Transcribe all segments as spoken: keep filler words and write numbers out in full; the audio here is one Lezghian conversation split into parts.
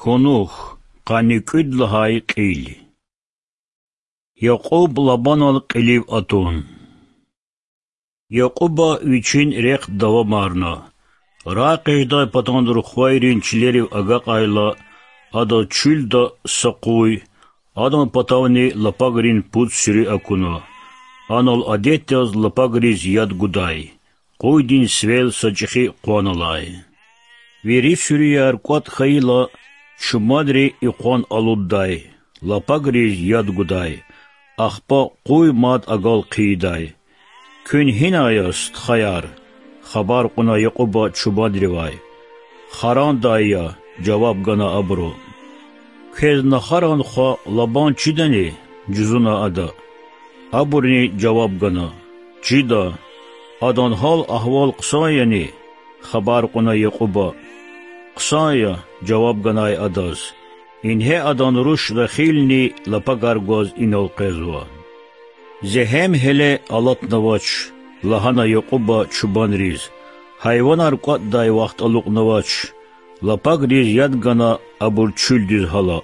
Кунух, къанни кӀуьд лагьай кьил. Якьуб Лабанал кьилив атун. Якьуба вичин рехъ давамарна. РагъэкъечӀдай патан рухвайрин чилерив агакьайла, адаз чуьлда са къуй, адан патавни лапагрин пуд суьруь акуна. Анал адет яз лапагриз яд гудай, къуйдин сивел са чӀехи къван алай. Вири суьруьяр кӀватӀ хьайила, чубанри и къван алуддай, лапагриз яд гудай, ахпа къуй мад агал хъийидай. Куьн гьинай я, стхаяр? хабар кьуна Якьуба чубанривай. Харандай я,— жаваб гана абуру. Квез нахаран хва Лабан чидани? жузуна ада. Абурни жаваб гана: Чида. Адан гьал-агьвал хъсан яни? хабар кьуна Якьуба. Хъсан я,— жаваб ганай адаз. Ингье адан руш Рахилни лапагар гваз инал къвезва. Зегьем гьеле алатнавач,— лагьана Якьуба чубанриз,— гьайванар кӀватӀдай вахт алукьнавач. Лапагриз яд гана абур чуьлдиз гьала.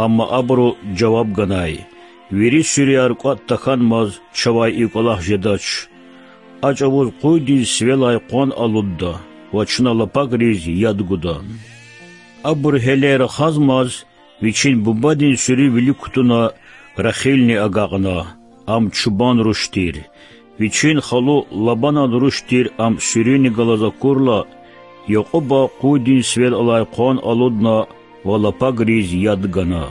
Амма абуру жаваб ганай: Вири суьруьяр кӀватӀ тахьанмаз чавай и кӀвалах жедач. А чӀавуз къуйдин сивелай къван алудда ва чна лапагриз яд гуда. Абур гьеле рахазмаз, вичин бубадин суьруь вилик кутуна, Рахилни агакьна, ам чубан руш тир. Вичин халу Лабанан руш тир ам суьруьни галаз акурла, Якьуба къуйдин сивел алай къван алудна ва лапагриз яд гана.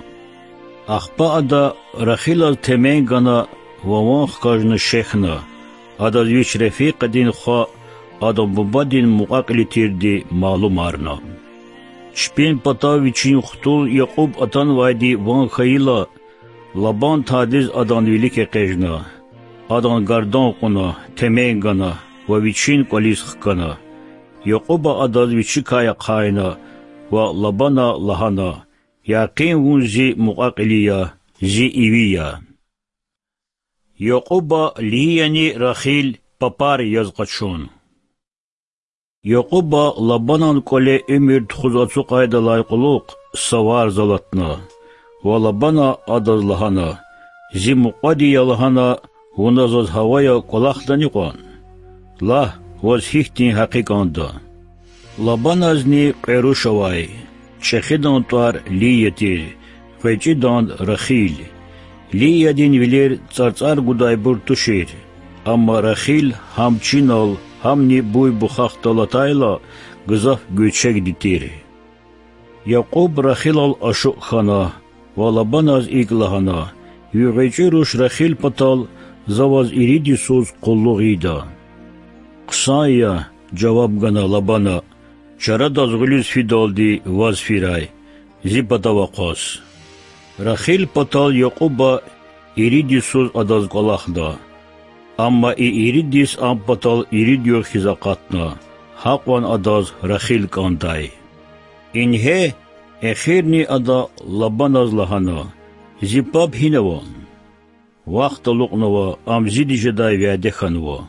Ахпа ада Рахилаз темен гана ва ван хкажна шехьна, адаз вич рефикьдин хва, адан бубадин мукьва-кьили тирди малумарна. Чпин патав вичин хтул Якьуб атанвайди ван хьайила, Лабан тадиз адан вилик экъечӀна, адан гардан кьуна, темен гана ва вичин кӀвализ хкана. Якьуба адаз вичикай ахъайна ва Лабана лагьана: Якъин вун зи мукьва-кьили я, зи иви я. Якьуба Лияни Рахил папар яз къачун. Якьуба Лабанан кӀвале уьмуьр тухуз ацукьайдалай кьулухъ са варз алатна ва Лабана адаз лагьана: Зи мукьвади я лагьана, вуна заз гьавая кӀвалахдани кьван? Лагь, ваз гьихьтин гьакъи кӀанда. Лабаназни кьве руш авай, чӀехидан тӀвар Лия тир, гъвечӀидан— Рахил. Лиядин вилер цӀарцӀар гудайбур тушир, амма Рахил гьам чинал, гьамни буй-бухахдал атайла, гзаф гуьрчегди тир. Якьуб Рахилал ашукь хьана ва Лабаназ икӀ лагьана: Ви гъвечӀи руш Рахил патал за ваз ирид йисуз къуллугъ ийида. Хъсан я,— жаваб гана Лабана,— чарадаз гъуьлуьз фидалди ваз фирай, зи патав акъваз. Рахил патал Якьуба ирид йисуз адаз кӀвалахда. Амма и ирид йис ам патал ирид югъ хьиз акъатна, гьакьван адаз Рахил кӀандай. Ингье, эхирни ада Лабаназ лагьана: Зи паб гьинава? Вахт алукьнава, ам зиди жедай вяде хьанва.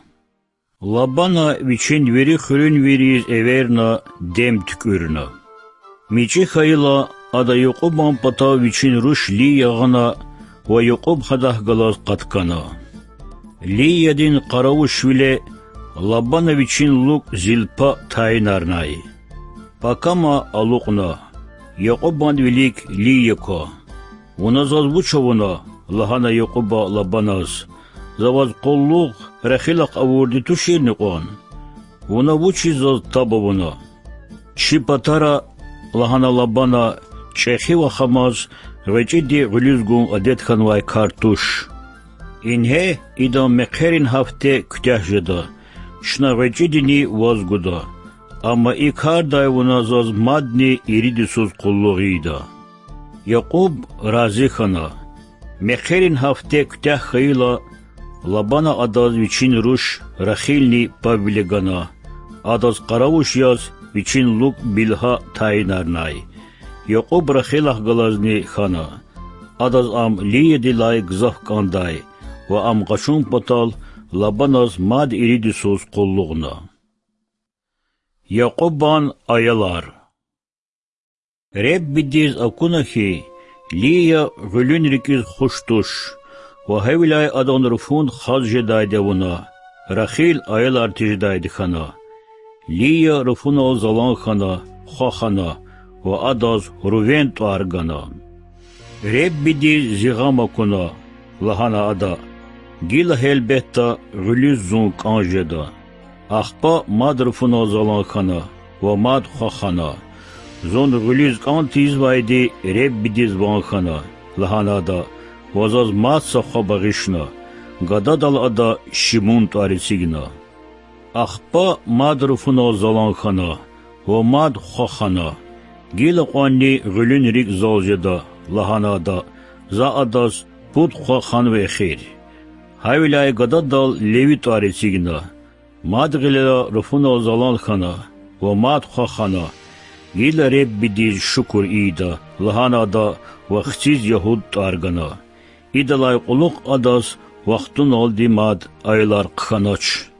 Лабана вичин вири хуьруьнвийриз эверна, дем туькӀуьрна. МичӀи хьайила, ада Якьубан патав вичин руш Лия гъана ва Якьуб гьадахъ галаз къаткана. Лиядин къаравушвиле Лабана вичин лукӀ Зилпа тайинарнай. Пакама алукьна: Якьубан вилик Лия ква. Вуна заз вуч авуна? лагьана Якьуба Лабаназ. За ваз къуллугъ Рахилахъ авурди туширни кьван? Вуна вучиз заз таб авуна? Чи патара,— лагьана Лабана,— чӀехи вахамаз гъвечӀиди гъуьлуьз гун адет хьанвай кар туш. Ингье, идан мехъерин гьафте куьтягь жеда, чна гъвечӀидини ваз гуда. Амма и кардай вуна заз мадни ирид йисуз къуллугъ ийида. Якьуб рази хьана. Мехъерин гьафте куьтягь хьайила, Лабана адаз вичин руш Рахилни пабвиле гана, адаз къаравуш яз вичин лукӀ Билгьа тайинарнай. Якьуб Рахилахъ галазни хьана. Адаз ам Лиядилай гзаф кӀандай ва ам къачун патал Лабаназ мад ирид йисуз къуллугъна. Якьубан аялар. Реббидиз акуна хьи, Лия гъуьлуьн рикІиз хуш туш, ва гьавиляй адан руфун хаз жедайди авуна, Рахил аялар тежедайди хьана. Лия руфунал залан хьана, хва хана ва адаз Рувен тІвар гана. Реббидиз зи гъам акуна,– лагьана ада,– гила, гьелбетда, гъуьлуьз зун кІан жеда. Ахпа мад руфунал залан хьана ва мад хва хана. Зун гъуьлуьз кІан тийизвайди Реббидиз ван хьана,– лагьана ада, ва заз мад са хва багъишна. Гададал ада Шимун тІвар эцигна. Ахпа мад руфунал залан хьана ва мад хва хана. Гила кьванни гъуьлуьн рикІ зал жеда,– лагьана ада,– за адаз пуд хва ханва эхир. Гьавиляй гададал Леви тІвар эцигна. Мад гъилера руфунал залан хьана ва мад хва хана. Гила Реббидиз шукур ийида,– лагьана ада ва хциз Ягьуд тІвар гана. Идалай кьулухъ адаз вахтуналди мад аялар хъхьанач.